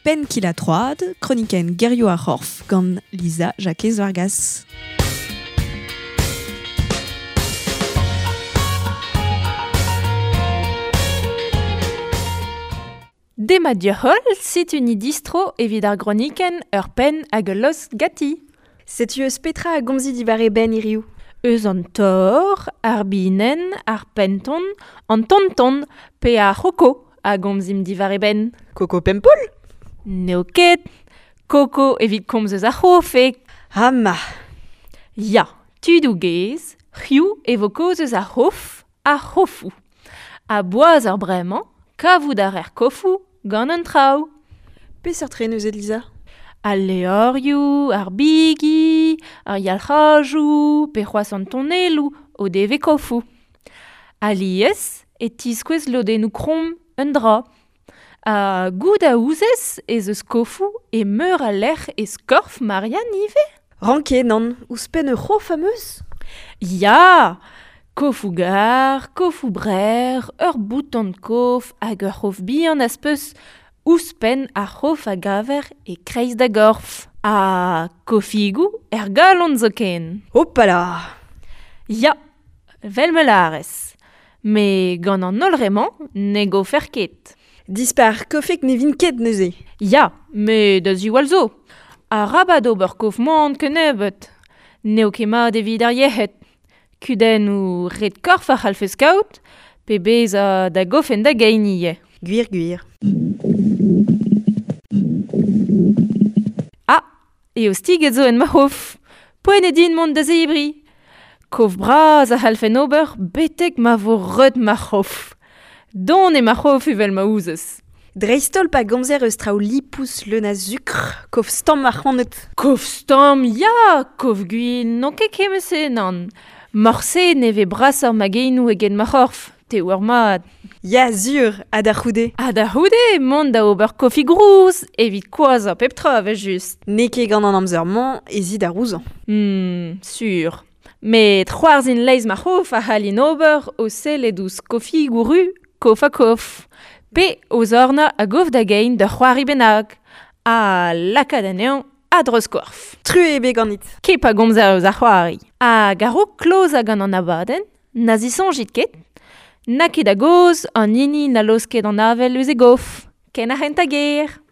Penn kil ha troad, kronikenn gerioù ar c'horf gant Lisa Jakez Vargas. Demat deoc'h-holl, setu ni distro evit ar gronikenn ur penn hag ul lost ganti. Setu eus petra a gomzi diwar e benn hiriv? Eus an tor, ar binenn, ar penton, an tonton pe ar c'hoko a gomzimp diwar e benn. Koko Pempoull? N'eo ket. Koko evit komz eus ar c'hof eo. Ha ma. Ya, tudoù gaezh, c'hiv e vo kaoz eus ar c'hof, ar c'hofoù. Ha boaz eur bremañ, kavout a rer kofoù gant an traoù. Peseurt re neuze, Lisa? Al levrioù, ar bigi, ar yalc'hajoù, pe c'hoazh an tonelloù o devez kofoù. Alies e tiskouez lodennoù kromm un dra. Ha goût a ouzez ez eus kofoù e meur a lec'h e skorf Marianne ivez? Ranket, nann, ouzhpenn ur c'hof am eus? Ya! Kofoù gar, kofoù brec'h, ur bouton kof hag ur c'hof bihan az peus ouzhpenn ar c'hof a gaver e-kreiz da gorf. Ha kofigoù er galon zoken. Hopala! Ya, 'vel ma lârez. Met gant an holl re-mañ ne gofer ket. Dispar, kofek ne vin ket neuze. Ya, met da ziwall zo. Arabat ober kof moan kennebeut. N'eo ket mat evit ar yec'hed. Kudennoù red-korf a c'hallfes kaout, pe bezañ da gofen da gein ivez. Gwir, gwir. Ah, eostiged zo en ma c'hof. Poent eo din mont da zebriñ. Kof bras a c'hallfen ober betek ma vo reut ma c'hof. Don eo ma c'hof evel ma ouzez. Dreist-holl pa gomzer eus traoù lipous leun a sukr, kof stamm ar c'hanet. Kof stamm, ya! Kof gwin, n'on ket kement-se, nann. Morse ne vez brasoc'h ma genoù eget ma c'horf, te oar mat. Ya, sur, ha da c'houde. Ha da c'houde, mont da ober kofi grouz, evit koazhañ pep tra, evel-just. N'eo ket gant an amzer-mañ ez i da rouzañ. Sur. Met c'hoarzhin leizh ma c'hof a c'hallin ober o sellet ouzh kofigoù ru kof-ha-kof, pe o zornañ a-gof da gein d'ur c'hoari bennak, ha lakaat anezhañ a-dreuz-korf. Truez ebet ganit. Ket pa gomzer eus ar c'hoari. Hag a-raok klozañ gant an abadenn, na zisoñjit ket, n'a ket a-gozh an hini na laosk ket an avel eus e gof, ken ar c'hentañ ger.